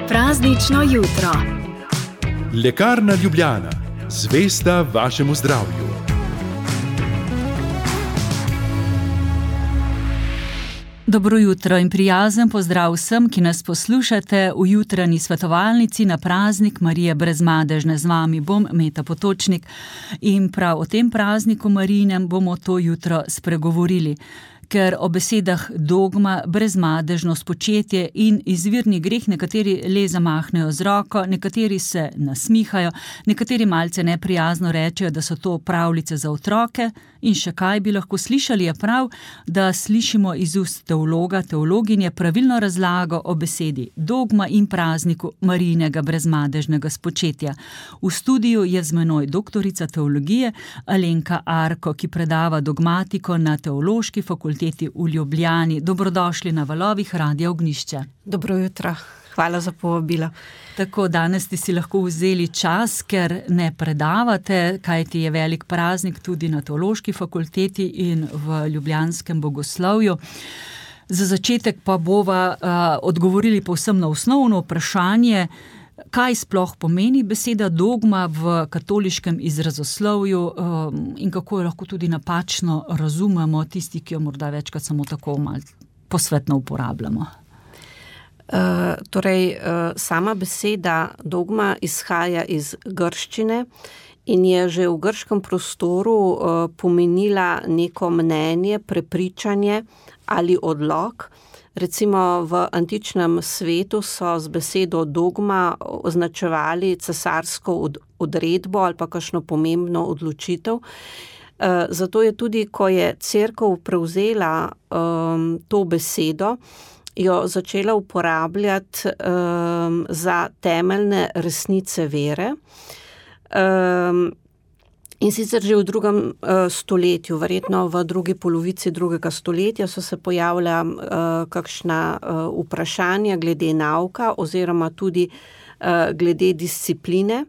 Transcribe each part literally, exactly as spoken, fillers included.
Praznično jutro. Lekarna Ljubljana, zvesta vašemu zdravju. Dobro jutro in prijazen pozdrav vsem, ki nas poslušate v jutranji svetovalnici na praznik Marije Brezmadežne. Z vami bom Meta Potočnik in prav o tem prazniku Marijinem bomo to jutro spregovorili. Ker o besedah dogma, brezmadežno spočetje in izvirni greh nekateri le zamahnejo z roko, nekateri se nasmihajo, nekateri malce neprijazno rečejo, da so to pravljice za otroke in še kaj bi lahko slišali, je prav, da slišimo iz ust teologa, teologinje pravilno razlago o besedi dogma in prazniku Marijinega brezmadežnega spočetja. V studiu je z menoj doktorica teologije Alenka Arko, ki predava dogmatiko na Teološki fakulteti v Ljubljani. Dobrodošli na valovih Radia Ognjišče. Dobro jutro, hvala za povabilo. Tako, danes ste si lahko vzeli čas, ker ne predavate, kajti je velik praznik tudi na Teološki fakulteti in v ljubljanskem bogoslovju. Za začetek pa bova uh, odgovorili povsem na osnovno vprašanje, kaj sploh pomeni beseda dogma v katoliškem izrazoslovju um, in kako jo lahko tudi napačno razumemo tisti, ki jo morda večkrat samo tako malo posvetno uporabljamo. Uh, torej, uh, sama beseda dogma izhaja iz grščine in je že v grškem prostoru uh, pomenila neko mnenje, prepričanje ali odlok. Recimo v antičnem svetu so z besedo dogma označevali cesarsko odredbo ali pa kakšno pomembno odločitev. Zato je tudi, ko je cerkev prevzela um, to besedo, jo začela uporabljati um, za temeljne resnice vere. Um, In sicer že v drugem uh, stoletju, verjetno v drugi polovici drugega stoletja so se pojavila uh, kakšna uh, vprašanja glede nauka oziroma tudi uh, glede discipline.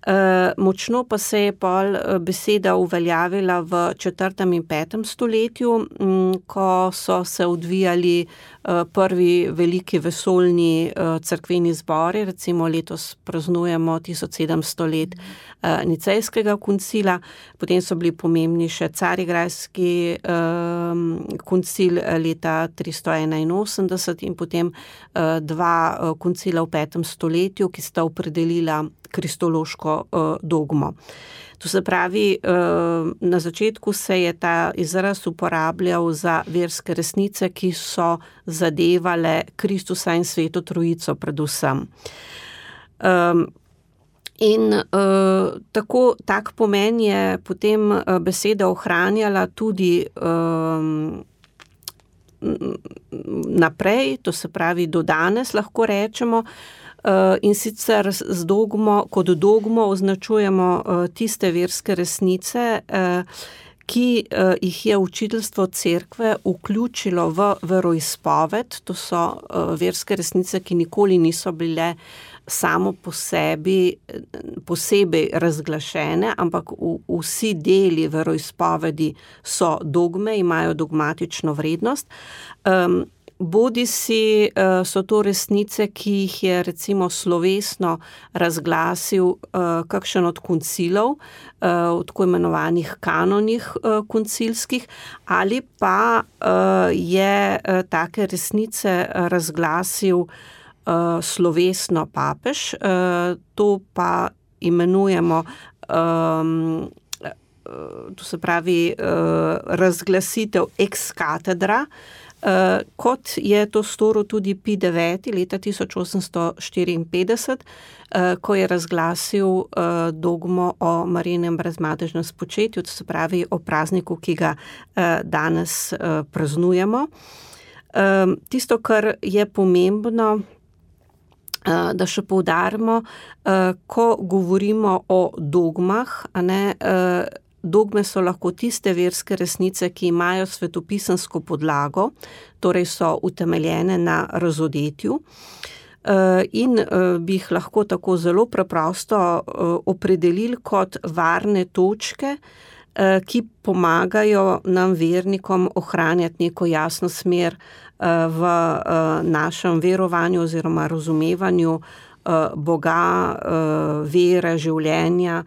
Uh, močno pa se je pol beseda uveljavila v četrtem in petem stoletju, m, ko so se odvijali uh, prvi veliki vesoljni uh, cerkveni zbori, recimo letos praznujemo tisoč sedemsto let uh, Nicejskega koncila, potem so bili pomembni še Carigrajski um, koncil leta tristo enainosemdeset in potem uh, dva uh, koncila v petem stoletju, ki sta opredelila kristološko uh, dogmo. To se pravi, uh, na začetku se je ta izraz uporabljal za verske resnice, ki so zadevale Kristusa in Sveto Trojico predvsem. Um, in uh, tako, tak pomen je potem uh, beseda ohranjala tudi um, naprej, to se pravi do danes lahko rečemo. Uh, in sicer z dogmo, kot dogmo označujemo uh, tiste verske resnice, uh, ki uh, jih je učiteljstvo cerkve vključilo v veroizpoved. To so uh, verske resnice, ki nikoli niso bile samo po sebi posebej razglašene, ampak v, vsi deli veroizpovedi so dogme, imajo dogmatično vrednost. Um, Bodi si so to resnice, ki jih je recimo slovesno razglasil kakšen od koncilov, od tako imenovanih kanonih koncilskih, ali pa je take resnice razglasil slovesno papež. To pa imenujemo, to se pravi razglasitev ex cathedra, Uh, kot je to storil tudi Pij deveti leta tisoč osemsto štiriinpetdeset, uh, ko je razglasil uh, dogmo o Marijinem brezmadežnem spočetju, to se pravi o prazniku, ki ga uh, danes uh, praznujemo. Um, tisto, kar je pomembno, uh, da še poudarimo, uh, ko govorimo o dogmah, a ne, uh, dogme so lahko tiste verske resnice, ki imajo svetopisemsko podlago, torej so utemeljene na razodetju in bi jih lahko tako zelo preprosto opredelili kot varne točke, ki pomagajo nam vernikom ohranjati neko jasno smer v našem verovanju oziroma razumevanju Boga, vere, življenja,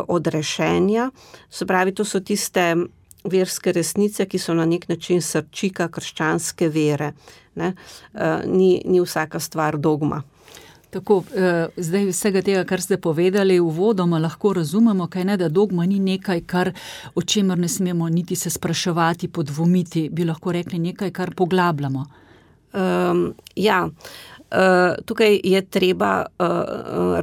odrešenja. Se pravi, to so tiste verske resnice, ki so na nek način srčika krščanske vere. Ne? Ni, ni vsaka stvar dogma. Tako, zdaj vsega tega, kar ste povedali, uvodoma lahko razumemo, kaj ne, da dogma ni nekaj, kar, o čemer ne smemo niti se spraševati, podvomiti, bi lahko rekli nekaj, kar poglabljamo. Um, ja, uh, tukaj je treba uh,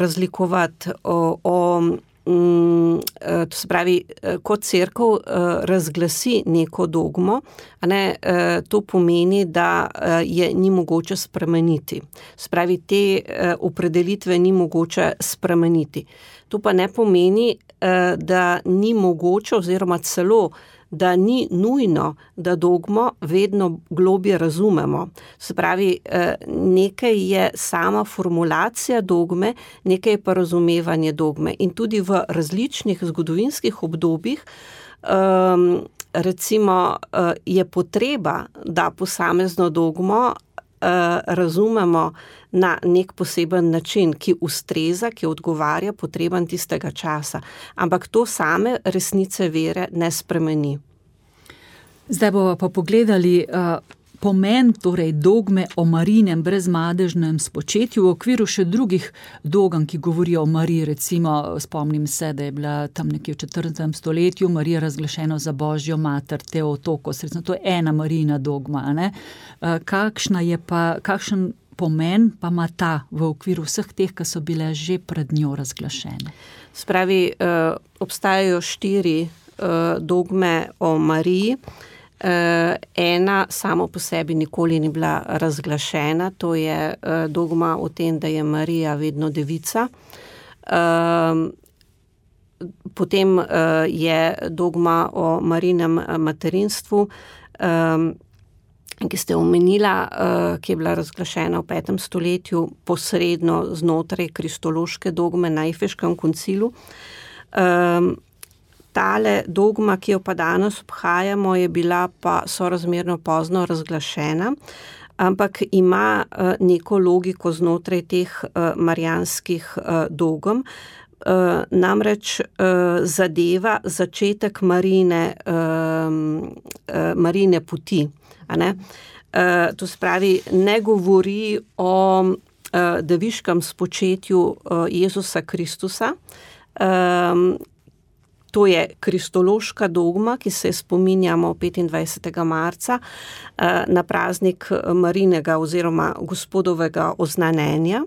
razlikovati o, o um, to se pravi, ko cerkev uh, razglasi neko dogmo, a ne, uh, to pomeni, da uh, je ni mogoče spremeniti. Se pravi, te uh, opredelitve ni mogoče spremeniti. To pa ne pomeni, uh, da ni mogoče oziroma celo da ni nujno, da dogmo vedno globje razumemo. Se pravi, nekaj je sama formulacija dogme, nekaj je pa razumevanje dogme. In tudi v različnih zgodovinskih obdobjih recimo je potreba, da posamezno dogmo razumemo na nek poseben način, ki ustreza, ki odgovarja potrebam tistega časa. Ampak to same resnice vere ne spremeni. Zdaj bomo pa pogledali uh, pomen torej dogme o Marijinem brezmadežnem spočetju v okviru še drugih dogam, ki govorijo o Mariji. Recimo, spomnim se, da je bila tam nekje v četrtem stoletju Marija razglašena za Božjo mater, Teotokos. Recimo, to je ena Marijina dogma. Ne? Uh, kakšna je pa, kakšen pomen pa ima ta v okviru vseh teh, ki so bile že pred njo razglašene? Spravi, uh, obstajajo štiri uh, dogme o Mariji. Uh, ena samo po sebi nikoli ni bila razglašena, to je uh, dogma o tem, da je Marija vedno devica. Uh, potem uh, je dogma o Marijinem materinstvu, um, ki ste omenila, uh, ki je bila razglašena v petem stoletju posredno znotraj kristološke dogme na Efeškem koncilu. Um, Tale dogma, ki jo pa danes obhajamo, je bila pa sorazmerno pozno razglašena, ampak ima uh, neko logiko znotraj teh uh, marijanskih uh, dogm. Uh, namreč uh, zadeva začetek Marijine, uh, uh, Marijine poti. A ne? Uh, to spravi, ne govori o uh, deviškem spočetju uh, Jezusa Kristusa. Um, To je kristološka dogma, ki se spominjamo petindvajsetega marca na praznik Marijinega oziroma Gospodovega oznanjenja,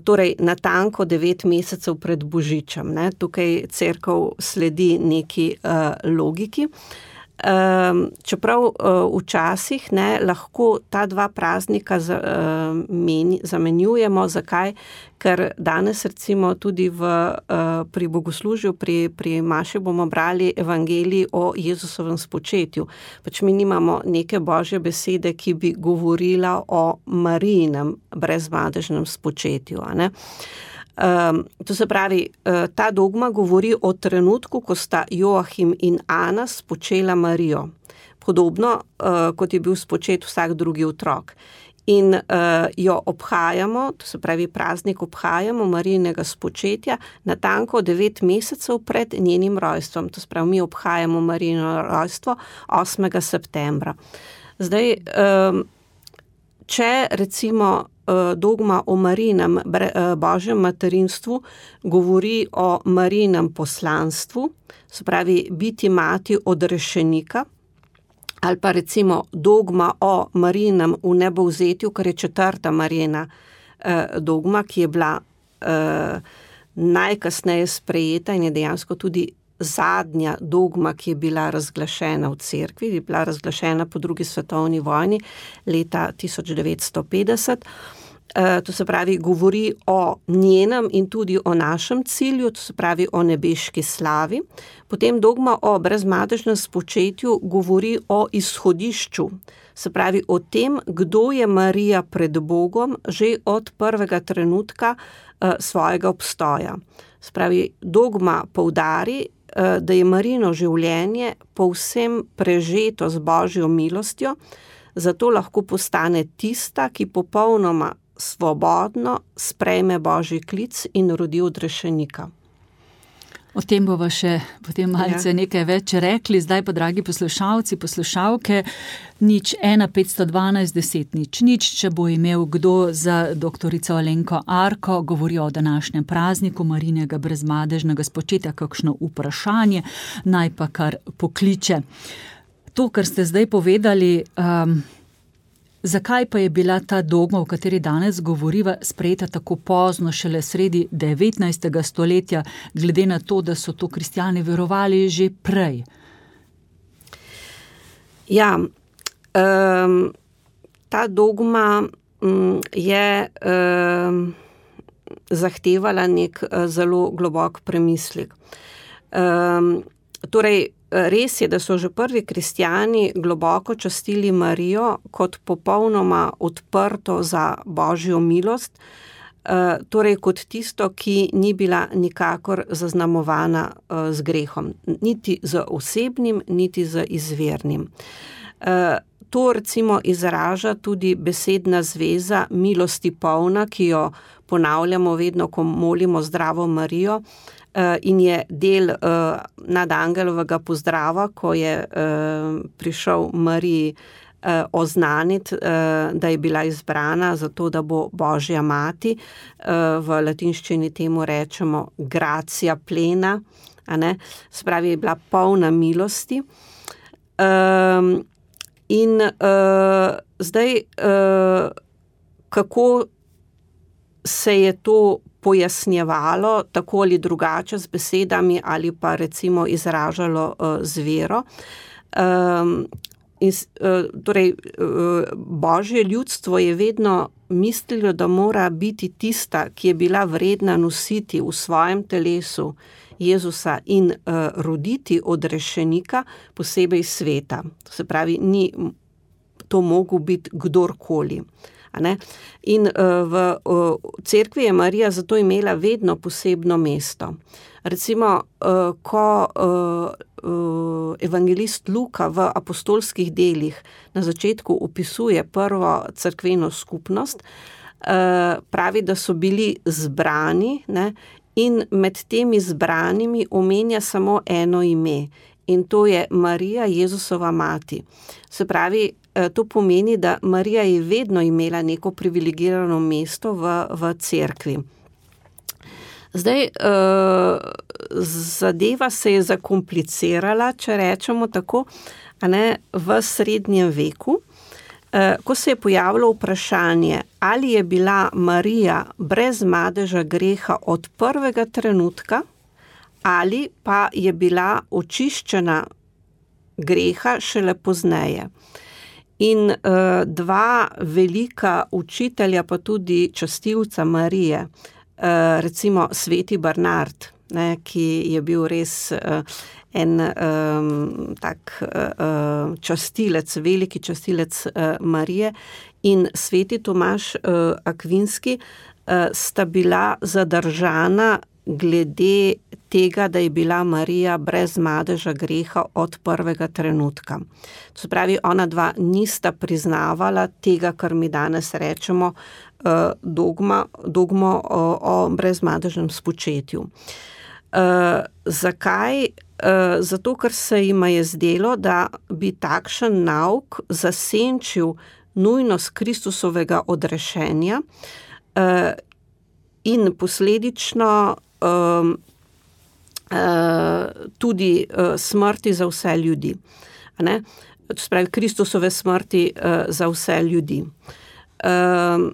torej natanko devet mesecev pred Božičem. Ne? Tukaj cerkev sledi neki logiki. Čeprav včasih ne, lahko ta dva praznika zamenjujemo. Zakaj? Ker danes recimo tudi v, pri bogoslužju, pri, pri maši bomo brali evangelij o Jezusovem spočetju. Pač mi nimamo neke božje besede, ki bi govorila o Marijinem brezmadežnem spočetju. A ne? Um, to se pravi, uh, ta dogma govori o trenutku, ko sta Joachim in Ana spočela Marijo. Podobno, uh, kot je bil spočet vsak drugi otrok. In uh, jo obhajamo, to se pravi praznik obhajamo Marijinega spočetja natanko devet mesecev pred njenim rojstvom. To se pravi, mi obhajamo Marijino rojstvo osmega septembra. Zdaj, um, če recimo dogma o Marijinem Božjem materinstvu govori o Marijinem poslanstvu, se pravi biti mati odrešenika, ali pa recimo dogma o Marijinem vnebovzetju, kar je četrta Marijina dogma, ki je bila najkasneje sprejeta in je dejansko tudi zadnja dogma, ki je bila razglašena v cerkvi, je bila razglašena po drugi svetovni vojni leta tisoč devetsto petdeset. To se pravi, govori o njenem in tudi o našem cilju, to se pravi o nebeški slavi. Potem dogma o brezmadežnem spočetju govori o izhodišču, se pravi o tem, kdo je Marija pred Bogom že od prvega trenutka svojega obstoja. Se pravi, dogma poudari, da je Marijino življenje povsem prežeto z Božjo milostjo, zato lahko postane tista, ki popolnoma svobodno sprejme Božji klic in rodi odrešenika. O tem bova še potem malce Ja. nekaj več rekli. Zdaj pa, dragi poslušalci, poslušalke, nič ena petsto dvanajst deset nič nič, če bo imel kdo za doktorico Alenko Arko, govorijo o današnjem prazniku Marijinega brezmadežnega spočetja, kakšno vprašanje, naj pa kar pokliče. To, kar ste zdaj povedali, um, zakaj pa je bila ta dogma, o kateri danes govoriva, sprejeta tako pozno, šele sredi devetnajstega stoletja, glede na to, da so to kristjani verovali že prej? Ja, um, ta dogma um, je um, zahtevala nek uh, zelo globok premislek. Um, torej, res je, da so že prvi kristjani globoko častili Marijo kot popolnoma odprto za Božjo milost, torej kot tisto, ki ni bila nikakor zaznamovana z grehom, niti z osebnim, niti z izvirnim. To recimo izraža tudi besedna zveza milosti polna, ki jo ponavljamo vedno, ko molimo Zdravo Marijo, in je del uh, nadangelovega pozdrava, ko je uh, prišel Mariji uh, oznaniti, uh, da je bila izbrana za to, da bo Božja mati. Uh, v latinščini temu rečemo gratia plena, a ne? Se pravi, je bila polna milosti. Um, in uh, zdaj, uh, kako se je to pojasnjevalo tako ali drugače z besedami ali pa recimo izražalo uh, z vero. Um, in, uh, torej, uh, Božje ljudstvo je vedno mislilo, da mora biti tista, ki je bila vredna nositi v svojem telesu Jezusa in uh, roditi odrešenika, posebej sveta. To se pravi, ni to mogel biti kdorkoli. In v cerkvi je Marija zato imela vedno posebno mesto. Recimo, ko evangelist Luka v apostolskih delih na začetku opisuje prvo cerkveno skupnost, pravi, da so bili zbrani, ne, in med temi zbranimi omenja samo eno ime, in to je Marija, Jezusova mati. Se pravi, to pomeni, da Marija je vedno imela neko privilegirano mesto v, v cerkvi. Zdaj, zadeva se je zakomplicirala, če rečemo tako, a ne, v srednjem veku, ko se je pojavilo vprašanje, ali je bila Marija brez madeža greha od prvega trenutka, ali pa je bila očiščena greha šele pozneje. In uh, dva velika učitelja, pa tudi častilca Marije, uh, recimo sveti Bernard, ne, ki je bil res uh, en um, tak uh, častilec, veliki častilec uh, Marije, in sveti Tomaž uh, Akvinski uh, sta bila zadržana glede tega, da je bila Marija brez madeža greha od prvega trenutka. To se pravi, ona dva nista priznavala tega, kar mi danes rečemo, dogma, dogmo o, o brezmadežnem spočetju. Uh, zakaj? Uh, zato, ker se jima je zdelo, da bi takšen nauk zasenčil nujnost Kristusovega odrešenja uh, in posledično um, uh, tudi uh, smrti za vse ljudi. A ne? To se pravi, Kristusove smrti uh, za vse ljudi. Um,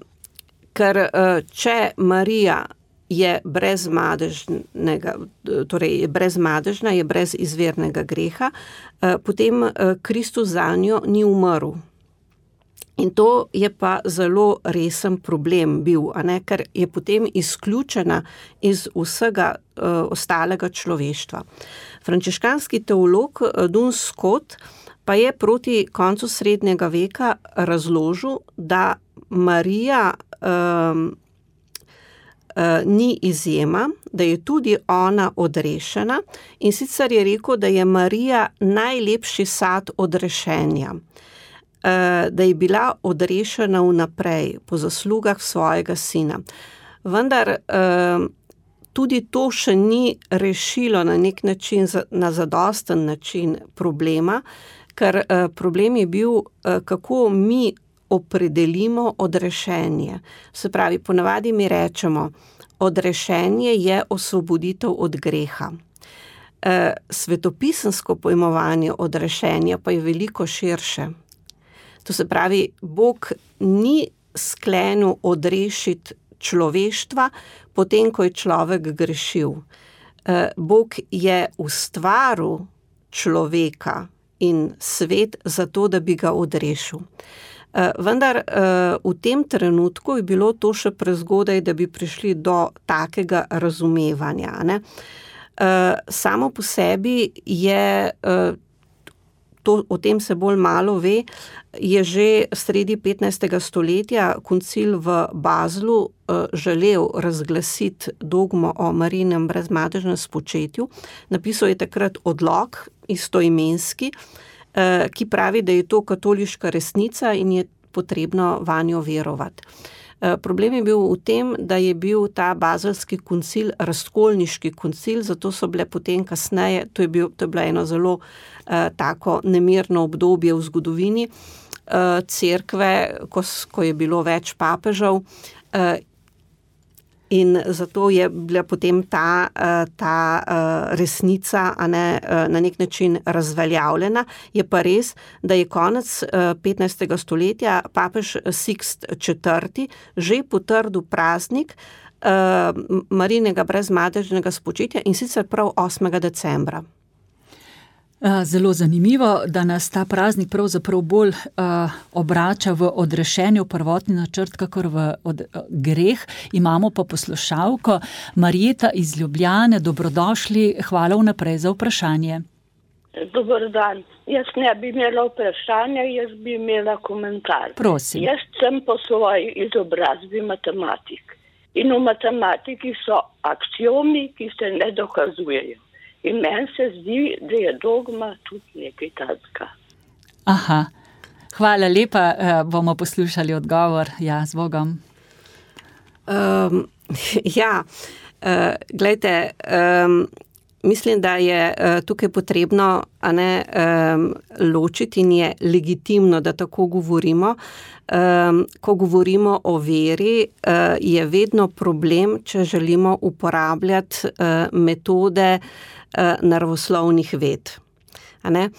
ker uh, če Marija je brezmadežnega, torej je brezmadežna, je brez izvirnega greha, uh, potem uh, Kristus zanjo ni umrl. In to je pa zelo resen problem bil, a ne, ker je potem izključena iz vsega uh, ostalega človeštva. Frančiškanski teolog Duns Scotus pa je proti koncu srednjega veka razložil, da Marija um, uh, ni izjema, da je tudi ona odrešena, in sicer je rekel, da je Marija najlepši sad odrešenja. da je bila odrešena vnaprej po zaslugah svojega sina. Vendar tudi to še ni rešilo na nek način, na zadosten način problema, ker problem je bil, kako mi opredelimo odrešenje. Se pravi, ponavadi mi rečemo, odrešenje je osvoboditev od greha. Svetopisemsko pojmovanje odrešenja pa je veliko širše. To se pravi, Bog ni sklenil odrešiti človeštva, potem, ko je človek grešil. Bog je ustvaril človeka in svet zato, da bi ga odrešil. Vendar v tem trenutku je bilo to še prezgodaj, da bi prišli do takega razumevanja, ne? Samo po sebi je, to, o tem se bolj malo ve, je že sredi petnajstega stoletja koncil v Baslu želel razglasiti dogmo o Marijinem brezmadežnem spočetju. Napisal je takrat odlok istoimenski, ki pravi, da je to katoliška resnica in je potrebno vanjo verovati. Problem je bil v tem, da je bil ta bazelski koncil razkolniški koncil, zato so bile potem kasneje, to je, bil, to je bilo eno zelo uh, tako nemirno obdobje v zgodovini uh, cerkve, ko, ko je bilo več papežev, uh, in zato je bila potem ta, ta resnica a ne, na nek način razveljavljena. Je pa res, da je konec petnajstega stoletja papež Sixt četrti že potrdil praznik Marijinega brezmadežnega spočetja in sicer prav osmega decembra. Zelo zanimivo, da nas ta praznik pravzaprav bolj uh, obrača v odrešenje, v prvotni načrt, kakor v od, uh, greh. Imamo pa poslušalko Marjeta iz Ljubljane. Dobrodošli, hvala vnaprej za vprašanje. Dober dan. Jaz ne bi imela vprašanja, jaz bi imela komentar. Prosim. Jaz sem po svoji izobrazbi matematik. In v matematiki so aksiomi, ki se ne dokazujejo. In meni se zdi, da je dogma tudi nekaj takega. Aha, hvala lepa, bomo poslušali odgovor. Ja, z Bogom. Um, ja, uh, glejte, um, mislim, da je uh, tukaj potrebno a ne, um, ločiti in je legitimno, da tako govorimo. Um, ko govorimo o veri, uh, je vedno problem, če želimo uporabljati uh, metode naravoslovnih ved. A ne?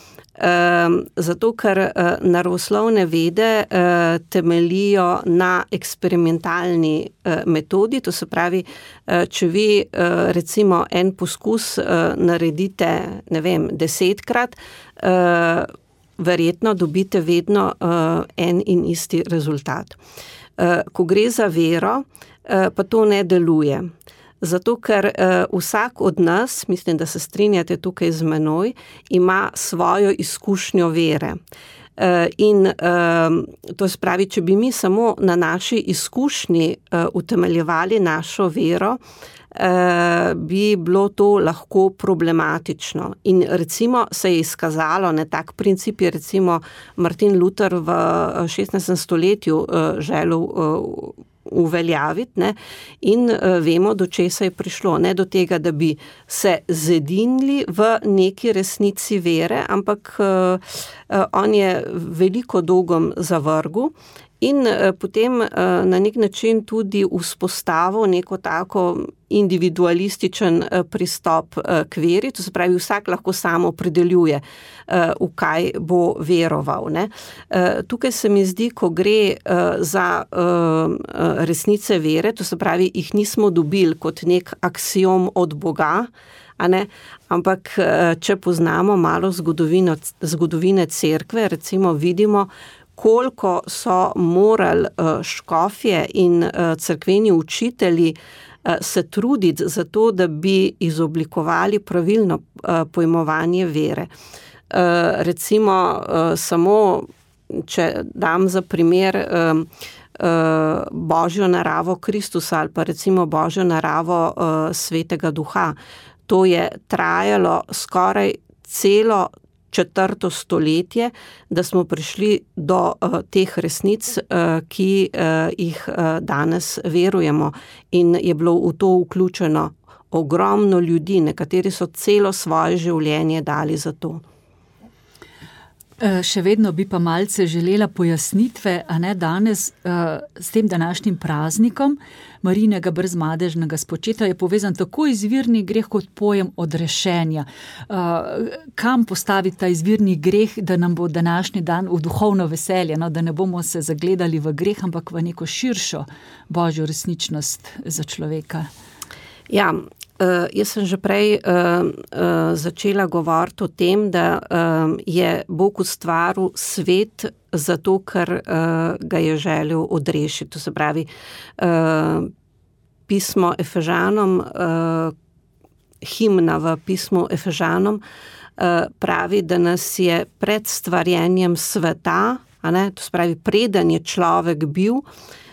Um, zato, ker uh, naravoslovne vede uh, temelijo na eksperimentalni uh, metodi, to se pravi, uh, če vi uh, recimo en poskus uh, naredite, ne vem, desetkrat, uh, verjetno dobite vedno uh, en in isti rezultat. Uh, ko gre za vero, uh, pa to ne deluje. Zato, ker uh, vsak od nas, mislim, da se strinjate tukaj z menoj, ima svojo izkušnjo vere. Uh, in uh, to se pravi, če bi mi samo na naši izkušnji uh, utemeljevali našo vero, uh, bi bilo to lahko problematično. In recimo se je izkazalo, ne, tak princip je recimo Martin Luther v šestnajstem stoletju uh, želel uh, uveljaviti, ne, in uh, vemo, do česa je prišlo. Ne do tega, da bi se zedinili v neki resnici vere, ampak uh, uh, on je veliko dogom zavrgel in uh, potem uh, na nek način tudi vzpostavil neko tako individualističen uh, pristop uh, k veri, to se pravi, vsak lahko samo opredeljuje, uh, v kaj bo veroval. Ne. Uh, tukaj se mi zdi, ko gre uh, za uh, resnice vere, to se pravi, jih nismo dobili kot nek aksiom od Boga, a ne, ampak uh, če poznamo malo zgodovino, zgodovine cerkve, recimo vidimo, koliko so morali uh, škofje in uh, cerkveni učitelji se truditi za to, da bi izoblikovali pravilno uh, pojmovanje vere. Uh, recimo, uh, samo, če dam za primer um, uh, Božjo naravo Kristusa ali pa recimo Božjo naravo uh, Svetega Duha, to je trajalo skoraj celo četrto stoletje, da smo prišli do uh, teh resnic, uh, ki uh, jih uh, danes verujemo. In je bilo v to vključeno ogromno ljudi, nekateri so celo svoje življenje dali za to. Še vedno bi pa malce želela pojasnitve, a ne danes s tem današnjim praznikom Marijinega brezmadežnega spočetja je povezan tako izvirni greh kot pojem odrešenja. Kam postaviti ta izvirni greh, da nam bo današnji dan v duhovno veselje, no, da ne bomo se zagledali v greh, ampak v neko širšo božjo resničnost za človeka? Ja, Uh, jaz sem že prej uh, uh, začela govoriti o tem, da uh, je Bog ustvaril svet zato, ker uh, ga je želel odrešiti. To se pravi, uh, pismo Efežanom, uh, himna v pismu Efežanom uh, pravi, da nas je pred stvarjenjem sveta, a ne, to se pravi, preden je človek bil,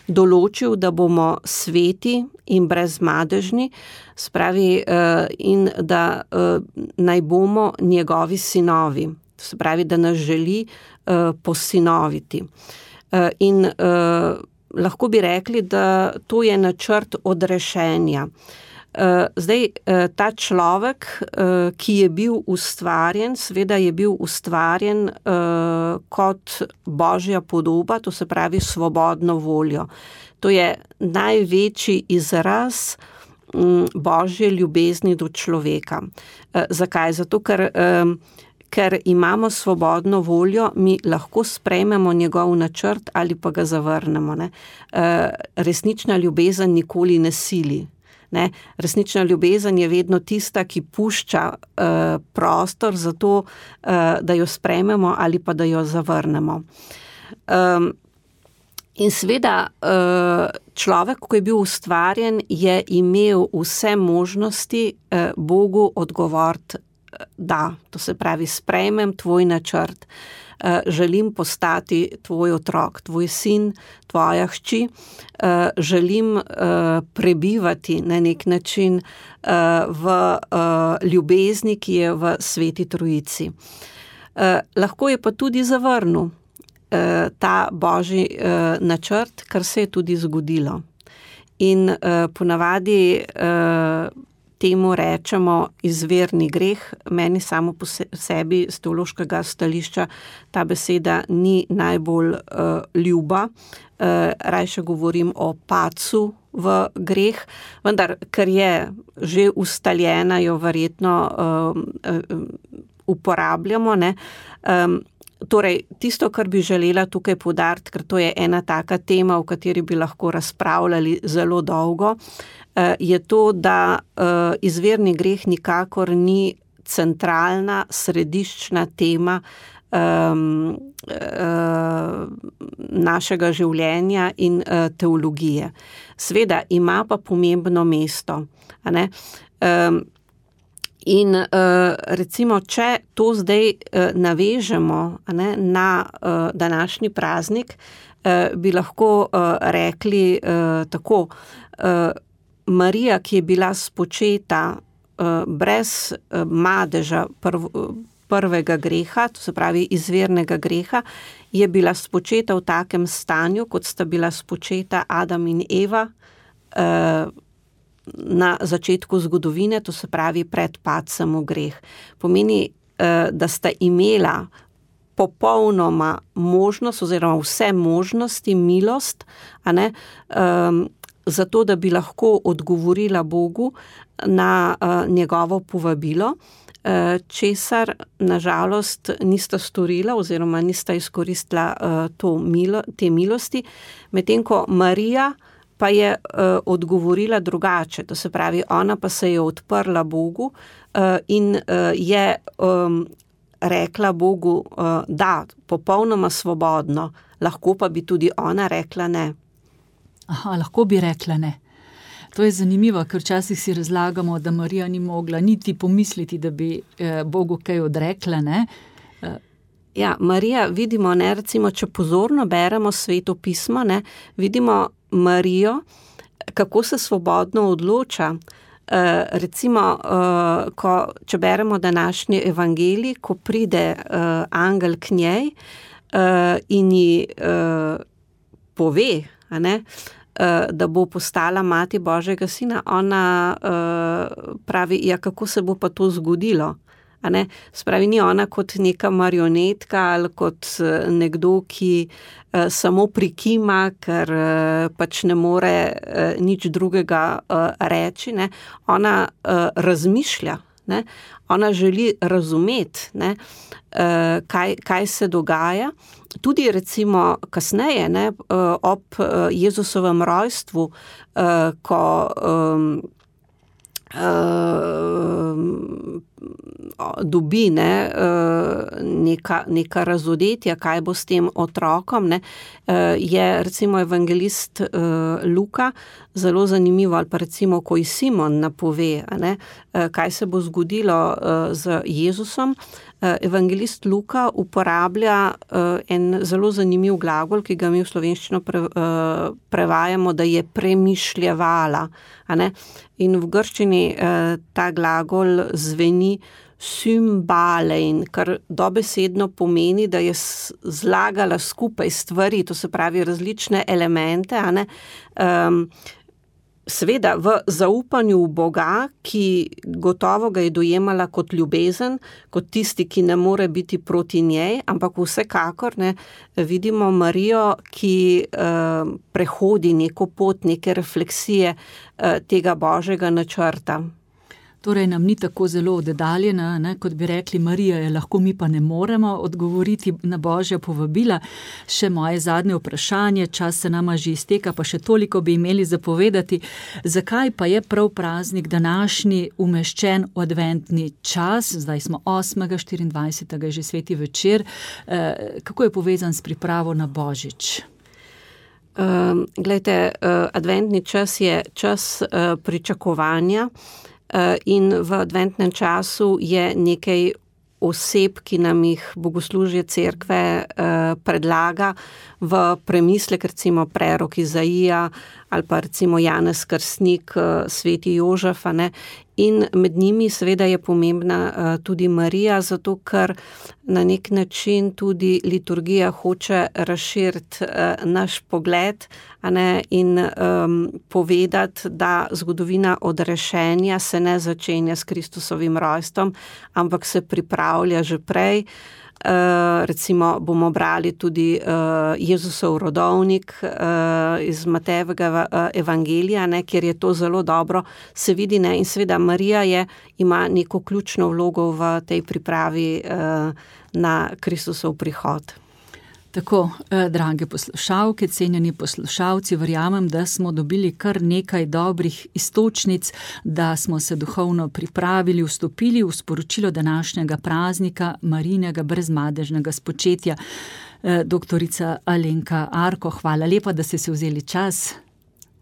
določil, da bomo sveti in brezmadežni, spravi, in da naj bomo njegovi sinovi. To se pravi, da nas želi posinoviti. In lahko bi rekli, da to je načrt odrešenja. Zdaj, ta človek, ki je bil ustvarjen, seveda je bil ustvarjen kot božja podoba, to se pravi svobodno voljo. To je največji izraz božje ljubezni do človeka. Zakaj? Zato, ker, ker imamo svobodno voljo, mi lahko sprejmemo njegov načrt ali pa ga zavrnemo. Ne? Resnična ljubezen nikoli ne sili. Ne? Resnična ljubezen je vedno tista, ki pušča uh, prostor za to, uh, da jo sprejmemo ali pa da jo zavrnemo. Um, in seveda uh, človek, ko je bil ustvarjen, je imel vse možnosti uh, Bogu odgovoriti da. To se pravi, sprejmem tvoj načrt. Želim postati tvoj otrok, tvoj sin, tvoja hči, želim prebivati na nek način v ljubezni, ki je v Sveti Trojici. Lahko je pa tudi zavrnil ta božji načrt, kar se je tudi zgodilo. In ponavadi temu rečemo izvirni greh. Meni samo po sebi z teološkega stališča ta beseda ni najbolj uh, ljuba. Uh, rajše govorim o padcu v greh, vendar, ker je že ustaljena, jo verjetno uh, uh, uporabljamo. Ne? Um, torej, tisto, kar bi želela tukaj poudariti, ker to je ena taka tema, o kateri bi lahko razpravljali zelo dolgo, je to, da izvirni greh nikakor ni centralna, središčna tema um, našega življenja in teologije. Sveda ima pa pomembno mesto. A ne? Um, in recimo, če to zdaj navežemo, a ne, na današnji praznik, bi lahko rekli tako, Marija, ki je bila spočeta uh, brez uh, madeža prv, prvega greha, to se pravi izvirnega greha, je bila spočeta v takem stanju, kot sta bila spočeta Adam in Eva uh, na začetku zgodovine, to se pravi pred padcem v greh. Pomeni, uh, da sta imela popolnoma možnost oziroma vse možnosti, milost, a ne, um, zato, da bi lahko odgovorila Bogu na uh, njegovo povabilo, uh, česar nažalost nista storila oziroma nista izkoristila uh, to milo, te milosti, medtem ko Marija pa je uh, odgovorila drugače, to se pravi, ona pa se je odprla Bogu uh, in uh, je um, rekla Bogu, uh, da, popolnoma svobodno, lahko pa bi tudi ona rekla ne. Aha, lahko bi rekla ne. To je zanimivo, ker včasih si razlagamo, da Marija ni mogla niti pomisliti, da bi eh, Bogu kaj odrekla, ne? Eh. Ja, Marija, vidimo, ne, recimo, če pozorno beremo Sveto pismo, ne, vidimo Marijo, kako se svobodno odloča. Recimo, ko, če beremo današnji evangelij, ko pride angel k njej in ji pove, a ne, da bo postala mati Božjega sina, ona pravi, ja, kako se bo pa to zgodilo? A ne? Spravi, ni ona kot neka marionetka ali kot nekdo, ki samo prikima, ker pač ne more nič drugega reči, ne? Ona razmišlja, ne? Ona želi razumeti, ne? Kaj, kaj se dogaja. Tudi recimo kasneje, ne? Ob Jezusovem rojstvu, ko dobi ne, neka, neka razodetja, kaj bo s tem otrokom, ne, je recimo evangelist Luka zelo zanimivo, ali pa recimo, ko ji Simon napove, ne, kaj se bo zgodilo z Jezusom. Evangelist Luka uporablja en zelo zanimiv glagol, ki ga mi v slovenščino pre, prevajamo, da je premišljevala. A ne? In v grščini ta glagol zveni symbalein, kar dobesedno pomeni, da je zlagala skupaj stvari, to se pravi različne elemente, a ne, um, seveda v zaupanju v Boga, ki gotovo ga je dojemala kot ljubezen, kot tisti, ki ne more biti proti njej, ampak vsekakor ne, vidimo Marijo, ki uh, prehodi neko pot, neke refleksije uh, tega Božjega načrta. Torej nam ni tako zelo oddaljena, ne, kot bi rekli, Marija je lahko, mi pa ne moremo odgovoriti na Božja povabila. Še moje zadnje vprašanje, čas se nama že izteka, pa še toliko bi imeli zapovedati. Zakaj pa je prav praznik današnji umeščen v adventni čas? Zdaj smo osmega štiriindvajsetega je že sveti večer. E, kako je povezan s pripravo na Božič? Um, glejte, uh, adventni čas je čas uh, pričakovanja. In v adventnem času je nekaj oseb, ki nam jih bogoslužje cerkve predlaga v premislek, recimo prerok Izaija ali pa recimo Janez Krstnik, sveti Jožef, ne? In med njimi seveda je pomembna tudi Marija, zato ker na nek način tudi liturgija hoče razširiti naš pogled, a ne, in um, povedati, da zgodovina odrešenja se ne začenja s Kristusovim rojstvom, ampak se pripravlja že prej. Uh, recimo bomo brali tudi uh, Jezusov rodovnik uh, iz Matejevega uh, evangelija, ne, kjer je to zelo dobro se vidi, ne, in seveda Marija je, ima neko ključno vlogo v tej pripravi uh, na Kristusov prihod. Tako, eh, drage poslušalke, cenjeni poslušalci, verjamem, da smo dobili kar nekaj dobrih istočnic, da smo se duhovno pripravili, vstopili v sporočilo današnjega praznika Marijinega brezmadežnega spočetja. Eh, doktorica Alenka Arko, hvala lepa, da ste si vzeli čas.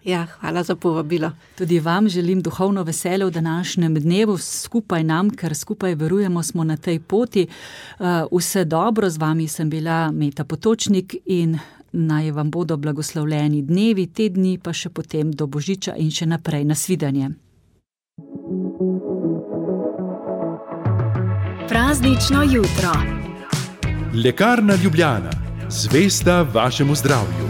Ja, hvala za povabilo. Tudi vam želim duhovno veselje v današnjem dnevu, skupaj nam, ker skupaj verujemo, smo na tej poti. Vse dobro, z vami sem bila Meta Potočnik in naj vam bodo blagoslovljeni dnevi, te dni pa še potem do Božiča in še naprej. Nasvidenje. Praznično jutro. Lekarna Ljubljana, zvesta vašemu zdravju.